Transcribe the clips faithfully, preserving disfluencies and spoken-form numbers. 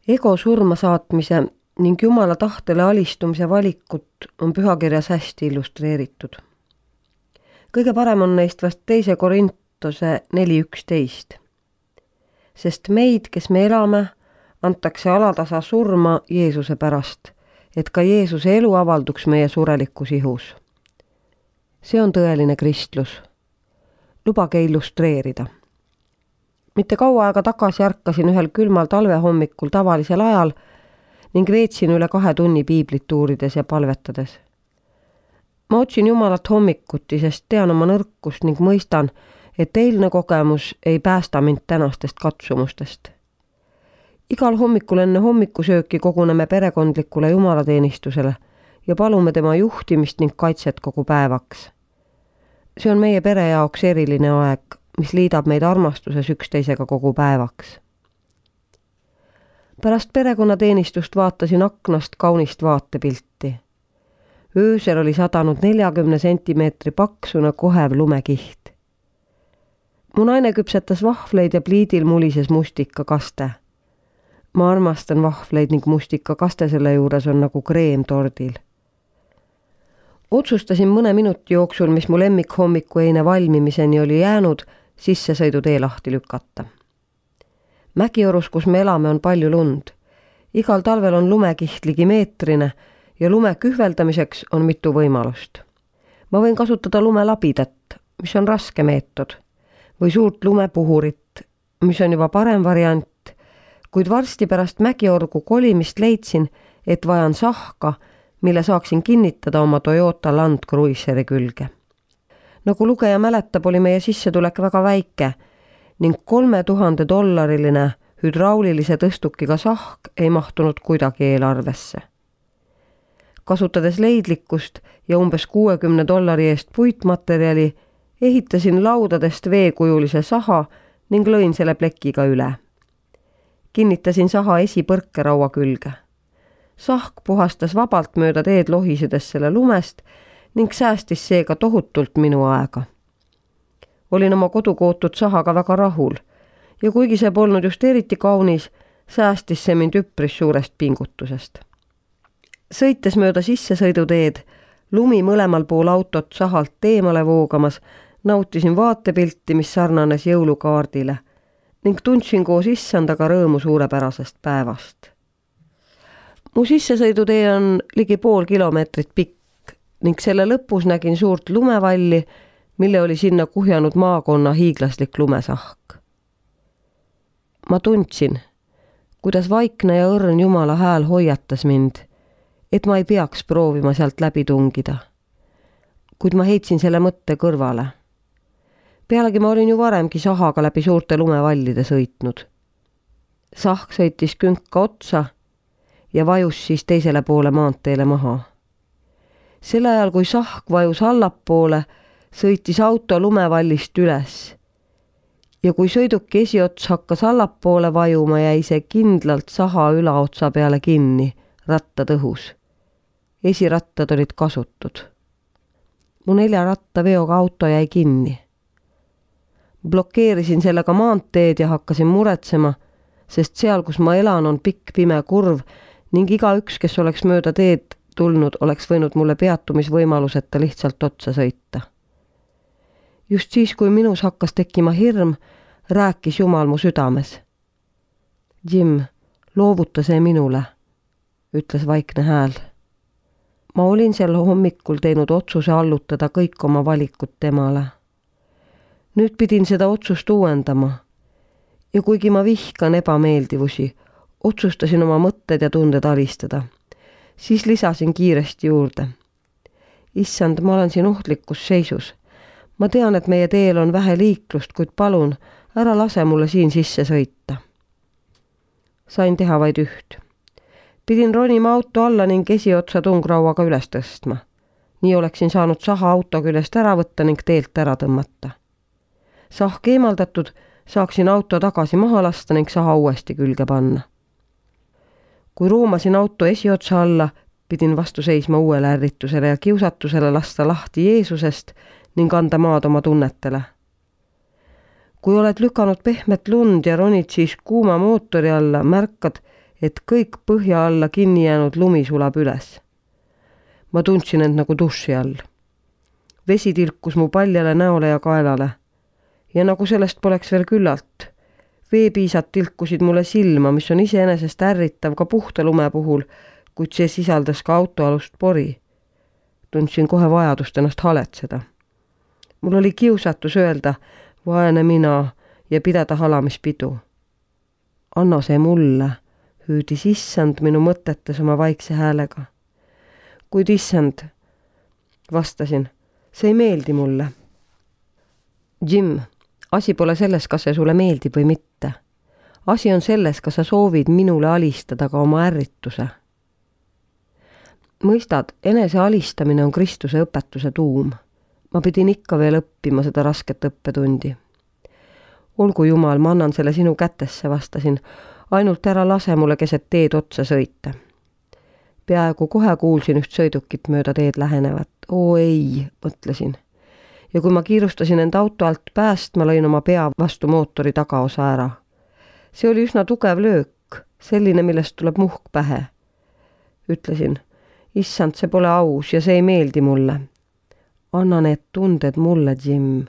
Ego surma saatmise ning Jumala tahtele alistumise valikut on pühakirjas hästi illustreeritud. Kõige parem on neist vast teise Korintose neli üksteist. Sest meid, kes me elame, antakse alatasa surma Jeesuse pärast, et ka Jeesuse elu avalduks meie surelikus ihus. See on tõeline kristlus. Lubage illustreerida. Mitte kaua aega tagasi ärkasin ühel külmal talvehommikul tavalisel ajal ning veetsin üle kahe tunni piiblit uurides ja palvetades. Ma otsin Jumalat hommikuti, sest tean oma nõrkust ning mõistan, et eilne kogemus ei päästa mind tänastest katsumustest. Igal hommikul enne hommikusööki koguneme perekondlikule jumalateenistusele ja palume tema juhtimist ning kaitset kogu päevaks. See on meie pere jaoks eriline aeg, mis liidab meid armastuses üksteisega kogu päevaks. Pärast perekonnateenistust vaatasin aknast kaunist vaatepilti. Öösel oli sadanud neljakümne sentimeetri paksuna kohev lumekiht. Mu naine küpsetas vahvleid ja pliidil mulises mustikakaste. Ma armastan vahvleid ning mustikakaste selle juures on nagu kreem tordil. Otsustasin mõne minuti jooksul, mis mu lemmik hommiku eine valmimiseni oli jäänud, sissesõidutee lahti lükata. Mägiorus, kus me elame, on palju lund. Igal talvel on lumekiht ligi meetrine ja lume kühveldamiseks on mitu võimalust. Ma võin kasutada lumelabidat, mis on raske meetod, või suurt lumepuhurit, mis on juba parem variant, kuid varsti pärast mägiorgu kolimist leidsin, et vajan sahka, mille saaksin kinnitada oma Toyota Land Cruiseri külge. Nagu lugeja mäletab, oli meie sissetulek väga väike ning kolme tuhande dollariline hüdraulilise tõstukiga sahk ei mahtunud kuidagi eelarvesse. Kasutades leidlikkust ja umbes kuuekümne dollari eest puitmaterjali, ehitasin laudadest veekujulise saha ning lõin selle plekiga üle. Kinnitasin saha esipõrkeraua külge. Sahk puhastas vabalt mööda teed lohisedes selle lumest ning säästis seega tohutult minu aega. Olin oma kodukootud sahaga väga rahul ja kuigi see polnud just eriti kaunis, säästis see mind üpris suurest pingutusest. Sõites mööda sissesõiduteed, lumi mõlemal pool autot sahalt eemale voogamas, nautisin vaatepilti, mis sarnanes jõulukaardile ning tundsin koos issandaga rõõmu suurepärasest päevast. Mu sissesõidutee on ligi pool kilomeetrit pikk ning selle lõpus nägin suurt lumevalli, mille oli sinna kuhjanud maakonna hiiglaslik lumesahk. Ma tundsin, kuidas vaikne ja õrn Jumala hääl hoiatas mind, et ma ei peaks proovima sealt läbi tungida. Kuid ma heitsin selle mõtte kõrvale. Pealegi ma olin ju varemgi sahaga läbi suurte lumevallide sõitnud. Sahk sõitis künka otsa ja vajus siis teisele poole maanteele maha. Sel ajal, kui sahk vajus allapoole, sõitis auto lumevallist üles. Ja kui sõiduki esiots hakkas allapoole vajuma, jäi see kindlalt saha ülaotsa peale kinni, rattad õhus. Esirattad olid kasutud. Mu nelja ratta veoga auto jäi kinni. Blokeerisin sellega maanteed ja hakkasin muretsema, sest seal, kus ma elan, on pikk pime kurv ning iga üks, kes oleks mööda teed tulnud, oleks võinud mulle peatumisvõimaluseta lihtsalt otsa sõita. Just siis, kui minus hakkas tekkima hirm, rääkis Jumal mu südames. Jim, loovuta see minule, ütles vaikne hääl. Ma olin sel hommikul teinud otsuse allutada kõik oma valikud temale. Nüüd pidin seda otsust uuendama ja kuigi ma vihkan ebameeldivusi, otsustasin oma mõtted ja tunded alistada. Siis lisasin kiiresti juurde. Issand, ma olen siin ohtlikus seisus. Ma tean, et meie teel on vähe liiklust, kuid palun, ära lase mulle siin sisse sõita. Sain teha vaid üht. Pidin ronima auto alla ning esiotsa tungrauaga üles tõstma. Nii oleksin saanud saha auto küljest ära võtta ning teelt ära tõmmata. Sahk eemaldatud, saaksin auto tagasi maha lasta ning saha uuesti külge panna. Kui roomasin auto esiotsa alla, pidin vastu seisma uuele ärritusele ja kiusatusele lasta lahti Jeesusest ning anda maad oma tunnetele. Kui oled lükanud pehmet lund ja ronid siis kuuma mootori alla, märkad, et kõik põhja alla kinni jäänud lumi sulab üles. Ma tundsin end nagu duši all. Vesi tilkus mu paljale näole ja kaelale. Ja nagu sellest poleks veel küllalt. Veepiisad tilkusid mulle silma, mis on iseenesest ärritav ka puhta lume puhul, kuid see sisaldas ka autoalust pori. Tundsin kohe vajadust ennast haletseda. Mul oli kiusatus öelda, vaene mina, ja pidada halamispidu. Anna see mulle, hüüdis issand minu mõtetes oma vaikse häälega. Kuid issand, vastasin, see ei meeldi mulle. Jim, asi pole selles, kas see sulle meeldib või mitte. Asi on selles, kas sa soovid minule alistada ka oma ärrituse. Mõistad, enese alistamine on Kristuse õpetuse tuum. Ma pidin ikka veel õppima seda rasket õppetundi. Olgu jumal, ma annan selle sinu kätesse, vastasin. Ainult ära lase mulle keset teed otsa sõita. Peaaegu kohe kuulsin üht sõidukit mööda teed lähenevat. Oo ei, mõtlesin. Ja kui ma kiirustasin end auto alt pääst, ma lõin oma pea vastu mootori tagaosa ära. See oli üsna tugev löök, selline, millest tuleb muhk pähe. Ütlesin, issand, see pole aus ja see ei meeldi mulle. Anna need tunded mulle, Jim.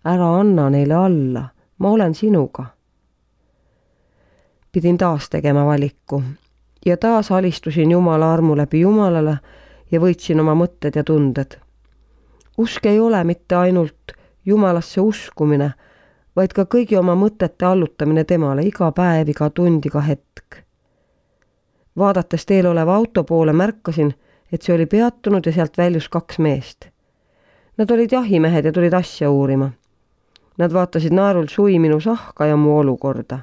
Ära anna neile alla. Ma olen sinuga. Pidin taas tegema valiku ja taas alistusin Jumala armu läbi Jumalale ja võitsin oma mõtted ja tunded. Usk ei ole mitte ainult Jumalasse uskumine, vaid ka kõigi oma mõtete allutamine temale iga päev, iga tund, iga hetk. Vaadates teel oleva auto poole märkasin, et see oli peatunud ja sealt väljus kaks meest. Nad olid jahimehed ja tulid asja uurima. Nad vaatasid naerul sui minu sahka ja mu olukorda.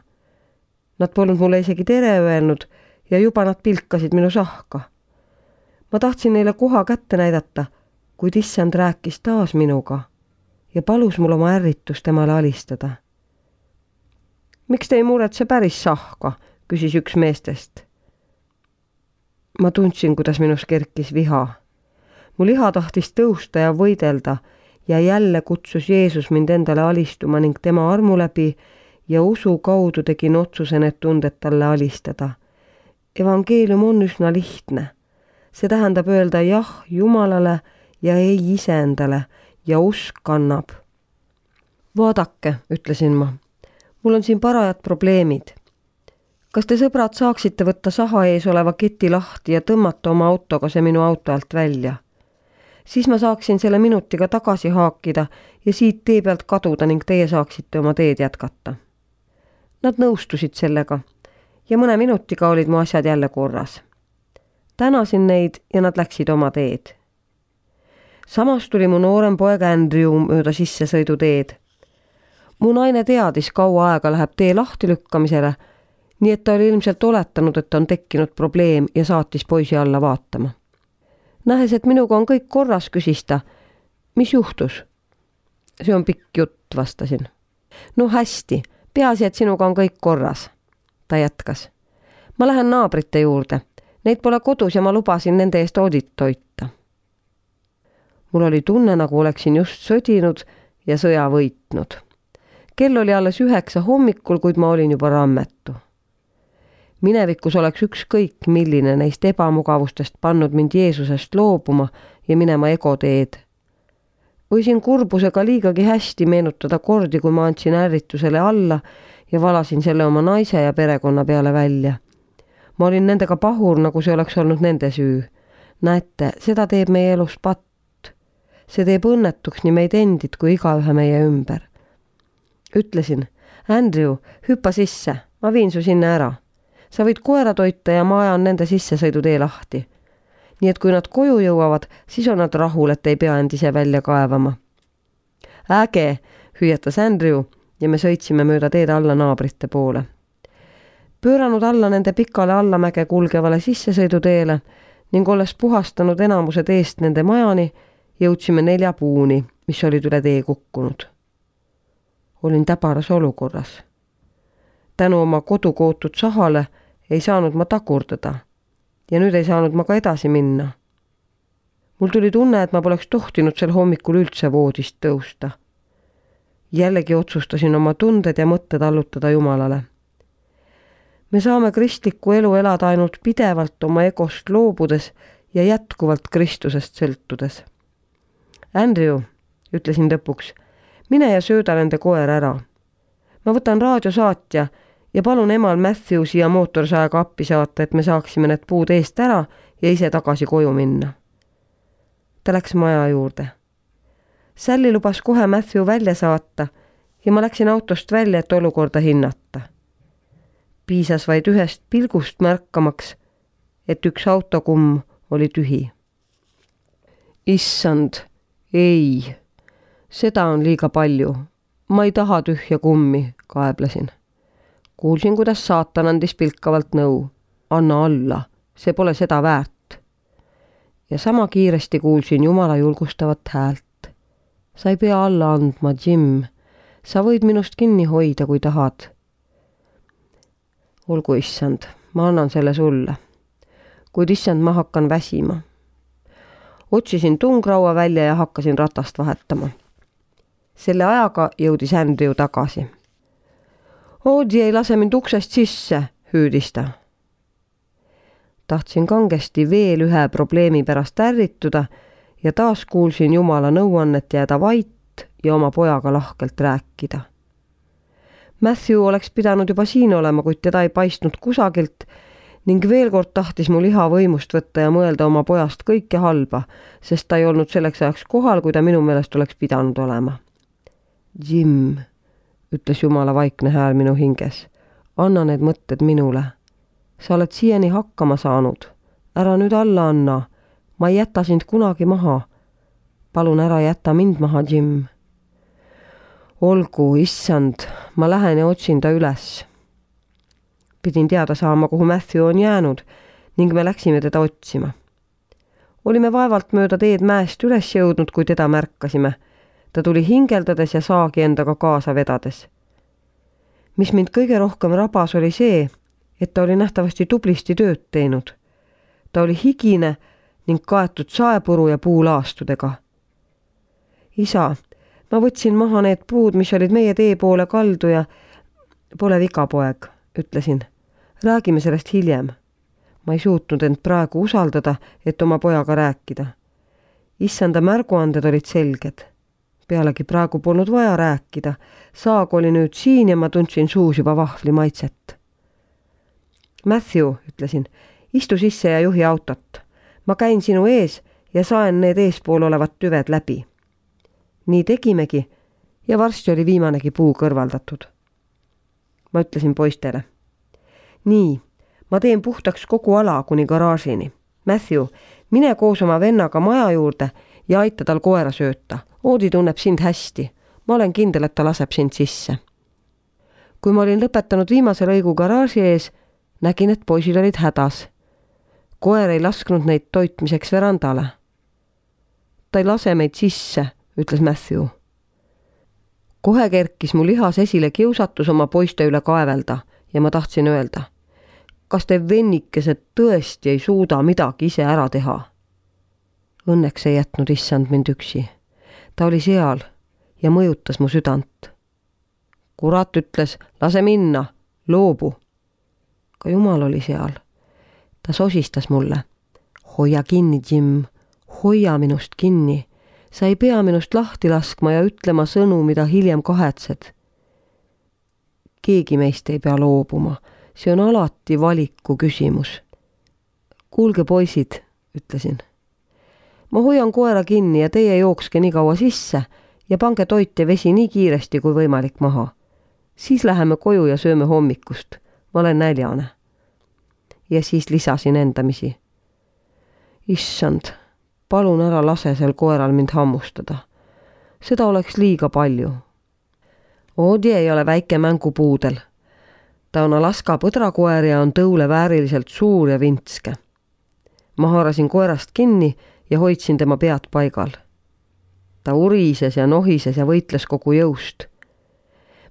Nad polnud mulle isegi tere öelnud ja juba nad pilkasid minu sahka. Ma tahtsin neile koha kätte näidata, kuid issand rääkis taas minuga ja palus mul oma ärritust temale alistada. Miks te ei muretse päris sahka, küsis üks meestest. Ma tundsin, kuidas minus kerkis viha. Mu liha tahtis tõusta ja võidelda ja jälle kutsus Jeesus mind endale alistuma ning tema armu läbi ja usu kaudu tegin otsuse need tunded talle alistada. Evangeelium on üsna lihtne. See tähendab öelda jah Jumalale ja ei iseendale ja usk kannab. Vaadake, ütlesin ma, mul on siin parajad probleemid. Kas te sõbrad saaksite võtta saha ees oleva keti lahti ja tõmmata oma autoga see minu auto alt välja? Siis ma saaksin selle minutiga tagasi haakida ja siit tee pealt kaduda ning teie saaksite oma teed jätkata. Nad nõustusid sellega ja mõne minutiga olid mu asjad jälle korras. Tänasin neid ja nad läksid oma teed. Samas tuli mu noorem poeg Andrew mööda sissesõidu teed. Mu naine teadis, kaua aega läheb tee lahti lükkamisele, nii et ta oli ilmselt oletanud, et on tekkinud probleem ja saatis poisi alla vaatama. Nähes, et minuga on kõik korras, küsis ta. Mis juhtus? See on pikk jutt, vastasin. No hästi, peaasi, et sinuga on kõik korras. Ta jätkas. Ma lähen naabrite juurde. Neid pole kodus ja ma lubasin nende eest audit toita. Mul oli tunne, nagu oleksin just sõdinud ja sõja võitnud. Kell oli alles üheksa hommikul, kuid ma olin juba rammetu. Minevikus oleks ükskõik, milline neist ebamugavustest pannud mind Jeesusest loobuma ja minema egoteed. Võisin kurbusega liigagi hästi meenutada kordi, kui ma andsin ärritusele alla ja valasin selle oma naise ja perekonna peale välja. Ma olin nendega pahur, nagu see oleks olnud nende süü. Näete, seda teeb meie elus patt. See teeb õnnetuks nii meid endid kui igaühe meie ümber. Ütlesin, Andrew, hüppa sisse, ma viin su sinna ära. Sa võid koera toita ja ma ajan nende sissesõidutee lahti. Nii et kui nad koju jõuavad, siis on nad rahul, et ei pea end ise välja kaevama. Äge, hüüatas Andrew ja me sõitsime mööda teed alla naabrite poole. Pööranud alla nende pikale allamäge kulgevale sissesõiduteele ning olles puhastanud enamused eest nende majani, jõudsime nelja puuni, mis olid üle tee kukkunud. Olin täbaras olukorras. Tänu oma kodukootud sahale ei saanud ma tagurdada ja nüüd ei saanud ma ka edasi minna. Mul tuli tunne, et ma poleks tohtinud sel hommikul üldse voodist tõusta. Jällegi otsustasin oma tunded ja mõtted allutada Jumalale. Me saame kristlikku elu elada ainult pidevalt oma egost loobudes ja jätkuvalt Kristusest sõltudes. Andrew, ütlesin lõpuks, mine ja sööda nende koer ära. Ma võtan raadiosaatja ja palun emal Matthew siia mootorsaega appi saata, et me saaksime need puud eest ära ja ise tagasi koju minna. Ta läks maja juurde. Sally lubas kohe Matthew välja saata ja ma läksin autost välja, et olukorda hinnata. Piisas vaid ühest pilgust märkamaks, et üks autokumm oli tühi. Issand, ei, seda on liiga palju. Ma ei taha tühja kummi, kaeblesin. Kuulsin, kuidas saatan andis pilkavalt nõu. Anna alla, see pole seda väärt. Ja sama kiiresti kuulsin Jumala julgustavat häält. Sa ei pea alla andma, Jim. Sa võid minust kinni hoida, kui tahad. Olgu, issand, ma annan selle sulle. Kuid issand, ma hakkan väsima. Otsisin tungraua välja ja hakkasin ratast vahetama. Selle ajaga jõudis Andrew tagasi. Oodi ei lase mind uksest sisse, hüüdis ta. Tahtsin kangesti veel ühe probleemi pärast ärrituda ja taas kuulsin Jumala nõuannet jääda vait ja oma pojaga lahkelt rääkida. Matthew oleks pidanud juba siin olema, kuid teda ei paistnud kusagilt ning veel kord tahtis mu liha võimust võtta ja mõelda oma pojast kõike halba, sest ta ei olnud selleks ajaks kohal, kui ta minu meelest oleks pidanud olema. Jim, ütles Jumala vaikne hääl minu hinges, anna need mõtted minule. Sa oled siiani hakkama saanud. Ära nüüd alla anna. Ma ei jäta sind kunagi maha. Palun ära jäta mind maha, Jim. Olgu, issand, ma lähen ja otsin ta üles. Pidin teada saama, kuhu Matthew on jäänud ning me läksime teda otsima. Olime vaevalt mööda teed mäest üles jõudnud, kui teda märkasime. Ta tuli hingeldades ja saagi endaga kaasa vedades. Mis mind kõige rohkem rabas oli see, et ta oli nähtavasti tublisti tööd teinud. Ta oli higine ning kaetud saepuru ja puulaastudega. Isa, ma võtsin maha need puud, mis olid meie tee poole kaldu ja pole viga, poeg, ütlesin. Räägime sellest hiljem. Ma ei suutnud end praegu usaldada, et oma pojaga rääkida. Issanda märguanded olid selged. Pealegi praegu polnud vaja rääkida. Saag oli nüüd siin ja ma tundsin suus juba vahvli maitset. Matthew, ütlesin, istu sisse ja juhi autot. Ma käin sinu ees ja saen need eespool olevad tüved läbi. Nii tegimegi ja varsti oli viimanegi puu kõrvaldatud. Ma ütlesin poistele. Nii, ma teen puhtaks kogu ala kuni garaažini. Matthew, mine koos oma vennaga maja juurde ja aita tal koera sööta. Oodi tunneb sind hästi. Ma olen kindel, et ta laseb sind sisse. Kui ma olin lõpetanud viimase lõigu garaaži ees, nägin, et poisid olid hädas. Koer ei lasknud neid toitmiseks verandale. Ta ei lase meid sisse, ütles Matthew. Kohe kerkis mu lihas esile kiusatus oma poiste üle kaevelda ja ma tahtsin öelda, kas te vennikesed tõesti ei suuda midagi ise ära teha? Õnneks ei jätnud issand mind üksi. Ta oli seal ja mõjutas mu südant. Kurat ütles, lase minna, loobu. Ka Jumal oli seal. Ta sosistas mulle. Hoia kinni, Jim, hoia minust kinni. Sa ei pea minust lahti laskma ja ütlema sõnu, mida hiljem kahetsed. Keegi meist ei pea loobuma. See on alati valiku küsimus. Kuulge, poisid, ütlesin. Ma hoian koera kinni ja teie jookske nii kaua sisse ja pange toit ja vesi nii kiiresti kui võimalik maha. Siis läheme koju ja sööme hommikust. Ma olen näljane. Ja siis lisasin endamisi. Issand, palun ära lase sel koeral mind hammustada. Seda oleks liiga palju. Oodi ei ole väike mängupuudel. Ta on Alaska põdrakoer ja on tõule vääriliselt suur ja vintske. Ma haarasin koerast kinni ja hoidsin tema pead paigal. Ta urises ja nohises ja võitles kogu jõust.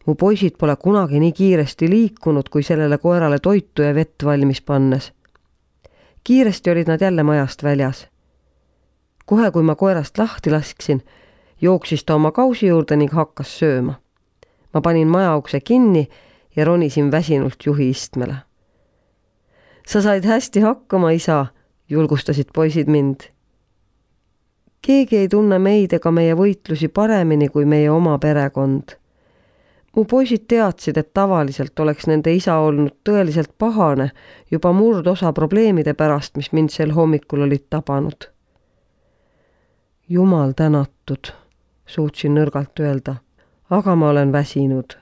Mu poisid pole kunagi nii kiiresti liikunud, kui sellele koerale toitu ja vett valmis pannes. Kiiresti olid nad jälle majast väljas. Kohe, kui ma koerast lahti lasksin, jooksis ta oma kausi juurde ning hakkas sööma. Ma panin maja ukse kinni ja ronisin väsinult juhi istmele. Sa said hästi hakkama, isa, julgustasid poisid mind. Keegi ei tunne meid ega meie võitlusi paremini kui meie oma perekond. Mu poisid teadsid, et tavaliselt oleks nende isa olnud tõeliselt pahane juba murdosa probleemide pärast, mis mind sel hommikul olid tabanud. Jumal tänatud, suutsin nõrgalt öelda, aga ma olen väsinud.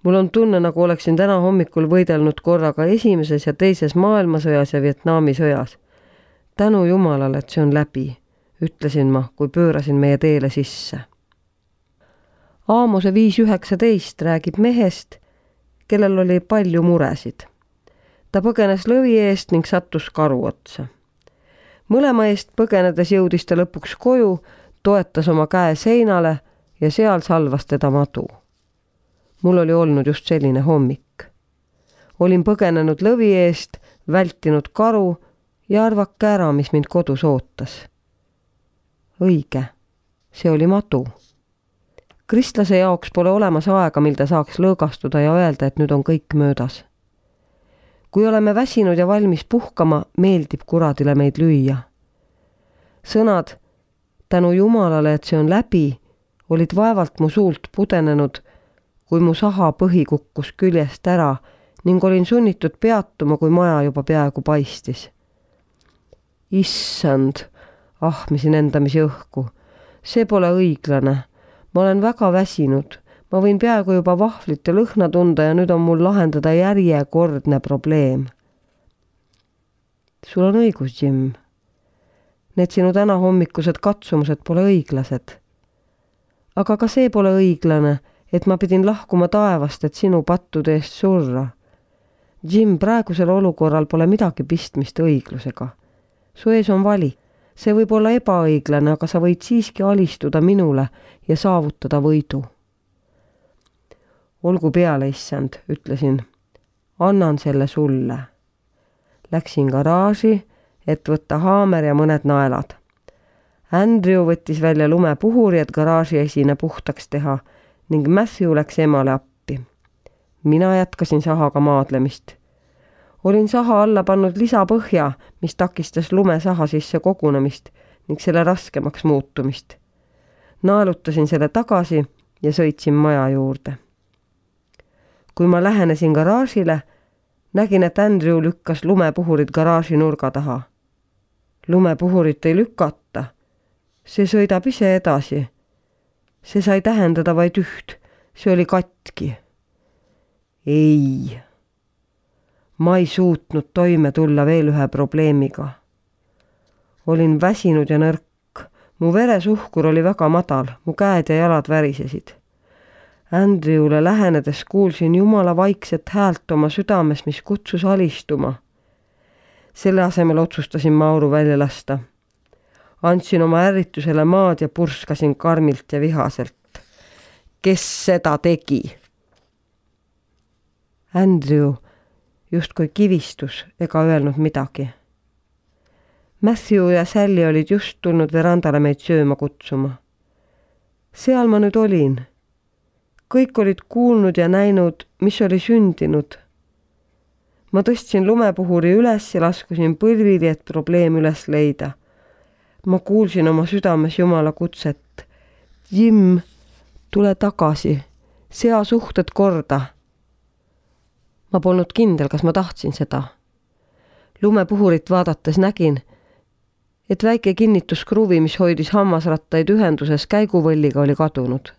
Mul on tunne, nagu oleksin täna hommikul võidelnud korraga esimeses ja teises maailmasõjas ja Vietnami sõjas. Tänu Jumalale, et see on läbi, ütlesin ma, kui pöörasin meie teele sisse. Aamose viis üheksateist räägib mehest, kellel oli palju muresid. Ta põgenes lõvi eest ning sattus karu otsa. Mõlema eest põgenedes jõudis ta lõpuks koju, toetas oma käe seinale ja seal salvas teda madu. Mul oli olnud just selline hommik. Olin põgenenud lõvi eest, vältinud karu ja arvake ära, mis mind kodus ootas. Õige, see oli madu. Kristlase jaoks pole olemas aega, mil ta saaks lõõgastuda ja öelda, et nüüd on kõik möödas. Kui oleme väsinud ja valmis puhkama, meeldib kuradile meid lüüa. Sõnad, tänu Jumalale, et see on läbi, olid vaevalt mu suult pudenenud, kui mu saha põhi kukkus küljest ära ning olin sunnitud peatuma, kui maja juba peaaegu paistis. Issand, ahmisin endamisi õhku. See pole õiglane. Ma olen väga väsinud. Ma võin peaaegu juba vahvlit ja lõhna tunda ja nüüd on mul lahendada järjekordne probleem. Sul on õigus, Jim. Need sinu täna hommikused katsumused pole õiglased. Aga ka see pole õiglane, et ma pidin lahkuma taevast, et sinu pattude eest surra. Jim, praegusel olukorral pole midagi pistmist õiglusega. Su ees on vali. See võib olla ebaõiglane, aga sa võid siiski alistuda minule ja saavutada võidu. Olgu peale, issand, ütlesin. Annan selle sulle. Läksin garaaži, et võtta haamer ja mõned naelad. Andrew võttis välja lumepuhuri, et garaaži esine puhtaks teha ning Matthew läks emale appi. Mina jätkasin sahaga maadlemist. Olin saha alla pannud lisapõhja, mis takistas lume saha sisse kogunemist ning selle raskemaks muutumist. Naelutasin selle tagasi ja sõitsin maja juurde. Kui ma lähenesin garaažile, nägin, et Andrew lükkas lumepuhurid garaaži nurga taha. Lumepuhurit ei lükata. See sõidab ise edasi. See sai tähendada vaid üht. See oli katki. Ei. Ma ei suutnud toime tulla veel ühe probleemiga. Olin väsinud ja nõrk. Mu veresuhkur oli väga madal, mu käed ja jalad värisesid. Andrewle lähenedes kuulsin Jumala vaikset häält oma südames, mis kutsus alistuma. Selle asemel otsustasin Mauru välja lasta. Andsin oma ärritusele maad ja purskasin karmilt ja vihaselt. Kes seda tegi? Andrew justkui kivistus ega öelnud midagi. Matthew ja Sally olid just tulnud verandale meid sööma kutsuma. Seal ma nüüd olin. Kõik olid kuulnud ja näinud, mis oli sündinud. Ma tõstsin lumepuhuri üles ja laskusin põlvili, et probleem üles leida. Ma kuulsin oma südames Jumala kutset. Jim, tule tagasi, sea suhted korda. Ma polnud kindel, kas ma tahtsin seda. Lumepuhurit vaadates nägin, et väike kinnituskruvi, mis hoidis hammasrattaid ühenduses käiguvõlliga, oli kadunud.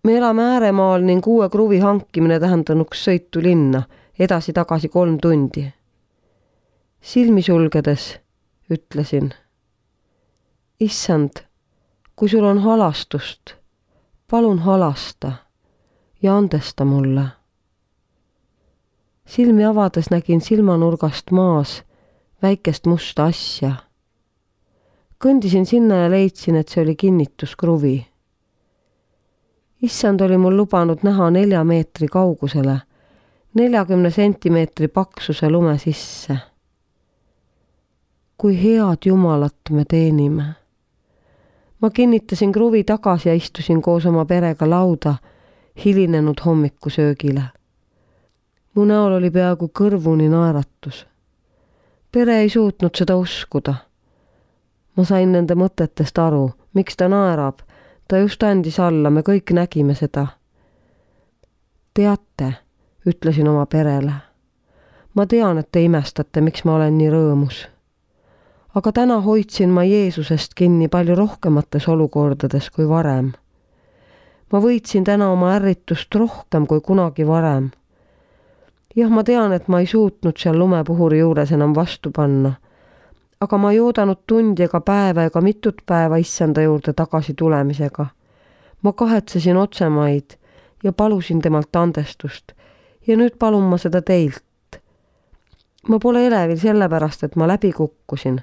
Me elame ääremaal ning uue kruvi hankimine tähendanuks sõitu linna, edasi-tagasi kolm tundi. Silmi sulgedes ütlesin, issand, kui sul on halastust, palun halasta ja andesta mulle. Silmi avades nägin silmanurgast maas väikest musta asja. Kõndisin sinna ja leidsin, et see oli kinnituskruvi. Issand oli mul lubanud näha nelja meetri kaugusele, neljakümne sentimeetri paksuse lume sisse. Kui head Jumalat me teenime. Ma kinnitasin kruvi tagasi ja istusin koos oma perega lauda hilinenud hommikusöögile. Mu näol oli peaaegu kõrvuni naeratus. Pere ei suutnud seda uskuda. Ma sain nende mõtetest aru, miks ta naerab. Ta just andis alla, me kõik nägime seda. Teate, ütlesin oma perele. Ma tean, et te imestate, miks ma olen nii rõõmus. Aga täna hoidsin ma Jeesusest kinni palju rohkemates olukordades kui varem. Ma võitsin täna oma ärritust rohkem kui kunagi varem. Jah, ma tean, et ma ei suutnud seal lumepuhuri juures enam vastu panna, aga ma ei oodanud tundi ega päeva ega mitut päeva issanda juurde tagasi tulemisega. Ma kahetsesin otsemaid ja palusin temalt andestust ja nüüd palun ma seda teilt. Ma pole elevil sellepärast, et ma läbi kukkusin,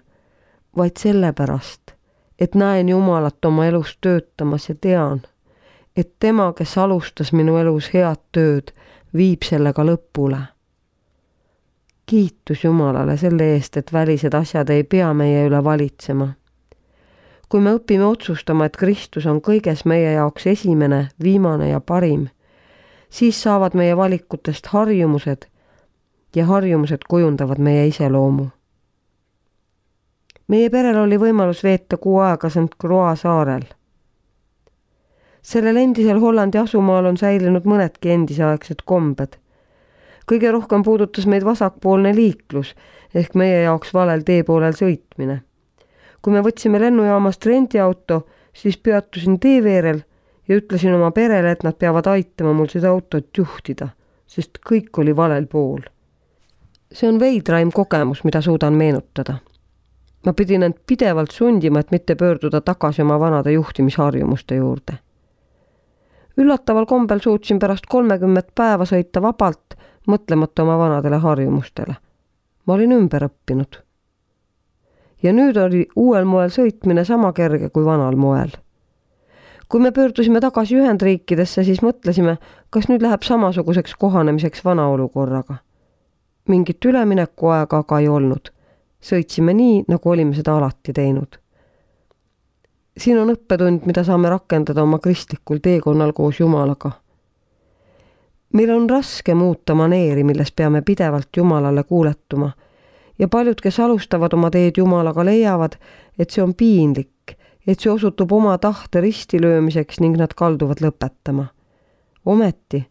vaid sellepärast, et näen Jumalat oma elus töötamas ja tean, et tema, kes alustas minu elus head tööd, viib sellega lõpule. Kiitus Jumalale selle eest, et välised asjad ei pea meie üle valitsema. Kui me õpime otsustama, et Kristus on kõiges meie jaoks esimene, viimane ja parim, siis saavad meie valikutest harjumused ja harjumused kujundavad meie iseloomu. Meie perel oli võimalus veeta kuu aega Saint Croix saarel. Sellel endisel Hollandi asumaal on säilinud mõnedki endiseaegsed kombed. Kõige rohkem puudutas meid vasakpoolne liiklus ehk meie jaoks valel teepoolel sõitmine. Kui me võtsime lennujaamast rendiauto, siis peatusin teeveerel ja ütlesin oma perele, et nad peavad aitama mul seda autot juhtida, sest kõik oli valel pool. See on veidraim kogemus, mida suudan meenutada. Ma pidin end pidevalt sundima, et mitte pöörduda tagasi oma vanade juhtimisharjumuste juurde. Üllataval kombel suutsin pärast kolmekümmet päeva sõita vabalt, mõtlemata oma vanadele harjumustele. Ma olin ümber õppinud. Ja nüüd oli uuel moel sõitmine sama kerge kui vanal moel. Kui me pöördusime tagasi Ühendriikidesse, siis mõtlesime, kas nüüd läheb samasuguseks kohanemiseks vana olukorraga. Mingit ülemineku aega aga ei olnud. Sõitsime nii, nagu olime seda alati teinud. Siin on õppetund, mida saame rakendada oma kristlikul teekonnal koos Jumalaga. Meil on raske muuta maneeri, milles peame pidevalt Jumalale kuuletuma ja paljud, kes alustavad oma teed Jumalaga, leiavad, et see on piinlik, et see osutub oma tahte ristilöömiseks ning nad kalduvad lõpetama. Ometi,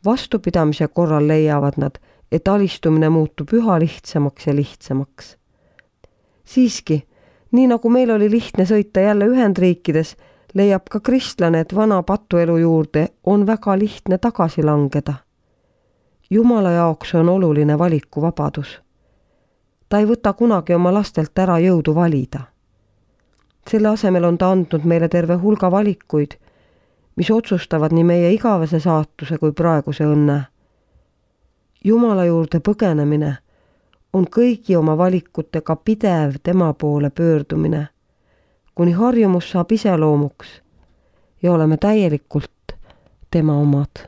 vastupidamise korral leiavad nad, et alistumine muutub üha lihtsamaks ja lihtsamaks. Siiski, nii nagu meil oli lihtne sõita jälle Ühendriikides, leiab ka kristlane, et vana patuelu juurde on väga lihtne tagasi langeda. Jumala jaoks on oluline valikuvabadus. Ta ei võta kunagi oma lastelt ära jõudu valida. Selle asemel on ta andnud meile terve hulga valikuid, mis otsustavad nii meie igavese saatuse kui praeguse õnne. Jumala juurde põgenemine on kõigi oma valikutega pidev tema poole pöördumine, kuni harjumus saab iseloomuks ja oleme täielikult tema omad.